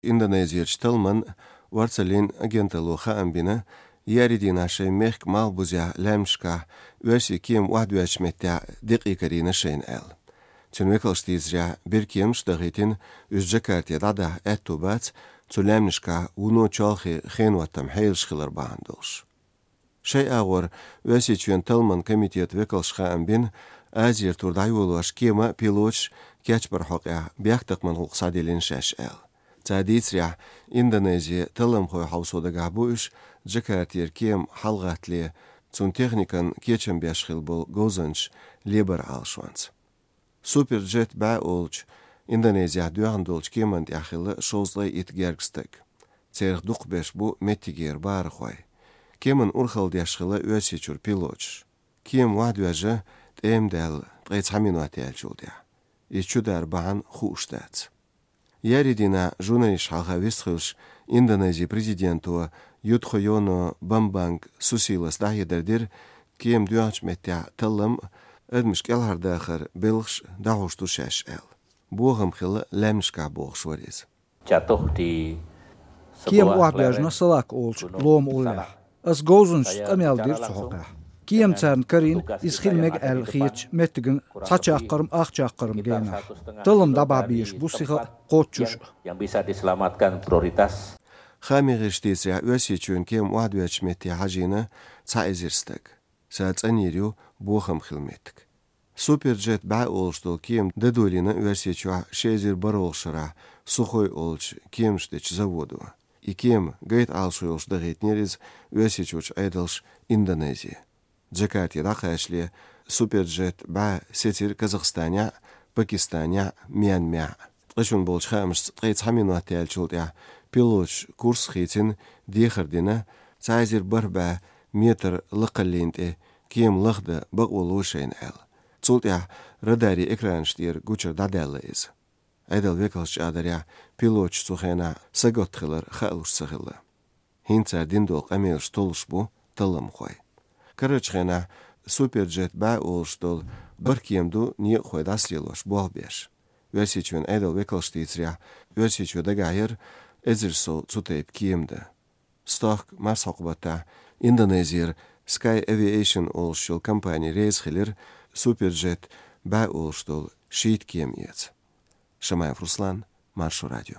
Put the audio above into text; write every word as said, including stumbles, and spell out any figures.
Индонезерчу талламан орцаллин агенталло хаам бина, еарин дийнахь шайн мехкан малхбузехь лаьмнашкахь оьрсийн кема охьадоьжначу меттехь декъий карийна шайна аьлла. Цуьнан векалша дийцарехь, бер кеманаш дахийтина, уьш Джакарте дӀадахьа аьтто бац, цу лаьмнашкахь вуно чолхе хенан хӀоттам хьелаш хилар бахьана долуш. Шайн агӀор Оьрсийчоьнан талламан комитетан векалша хаам бина, Азера тур дӀайолош кема а, пилоташ а кечбаран хьокъехь бехктакхаман гӀуллакх схьадиллина шаьш аьлла. Цара дийцарехь, Индонезин талламхойн хьовсо дагахь бу уьш Джакартера кема хьалагӀаттале, цуьнан техникан кечам беш хилла болу говзанчаш лебар Ӏалашонца. Суперджет бӀе олучу, Индонезехь доьхна долчу кеманна тӀехь хилла шовзткъе итт гергга стаг. Царах дукхахберш бу меттигера бахархой. Кеманна урхалла деш хилла Оьрсийчуьра пилоташ. Кема охьадоьжна тӀема даьлла ткъе цхьа минот яьллачул тӀаьхьа. Иза чу дар бахьана хууш дац. Еарин дийнахь журналисташна хьалха вистхуьлуш, Индонезин президенто Юдхойоно Бамбанг Сусилос дӀахьедар дира, кема доьхначу меттехь таллам а, адамаш кӀелхьардахаран белхаш а дӀахьош ду шаьш аьлла. Бохам хилла лаьмнашкахь, бохуш вара иза. Jatuh di Кема охьадоьжна Салак олучу лома уллехь. Ас говзанчашна къамел дира цу хьокъехь. Кема царна карийна, иза хила мега аьлла хетачу меттиган цхьа чаккхарма, ах чаккхарма генахь. Таллам дӀабахьа безаш бу сиха а, кхоччуш а. Yang bisa diselamatkan prioritas. Хаамийн гӀирсаша дийцарехь, Оьрсийчоьнан кема охьадоьжначу метте хьажийна цхьа эзар стаг. Ша цӀанйийр ю бохам хилла меттиг. Суперджет бӀе олуш долу кема дӀадолийна Оьрсийчохь ши эзар бархӀалгӀачу шарахь Сухой олучу кеманаш дечу заводо. И кема гайта Ӏалашо йолуш дахийтинера иза Оьрсийчуьрчу Ӏедалша Индонезе. Джакарте дӀакхачале Суперджет бӀе сецира Казахстанехь а, Пакистанехь а, Мьянмехь а. Ткъа шуна болчу хаамашца ткъе цхьа минот яьллачул тӀаьхьа пилоташа курс а хийцина, дехар дина, цхьа эзар бархӀ бӀе метр лакхаллина тӀе кема лахдан бакъо ло шайна аьлла. Цул тӀаьхьа радарийн экранаш тӀера гучура дӀадаьлла иза. Ӏедалан векалша чӀагӀдарехь, пилоташ цу хенахь сагатта хилар хаалуш ца хилла. ХӀинца цара дина долу къамелаш толлуш бу талламхой. Карарчу хенахь Суперджет бӀе олуш долу бархӀ кема ду некъахой дӀасалелош болх беш. Оьрсийчоьнан Ӏедалан векалша дийцарехь, Оьрсийчоь дагахь яра эзар сов цу тайпа кема дан. Стохка марсхьокху баттахь Индонезера Sky Aviation олуш йолу компани реза хилира Суперджет бӀе олуш долу шийтта кема эца. Шамаев Руслан, Маршо радио.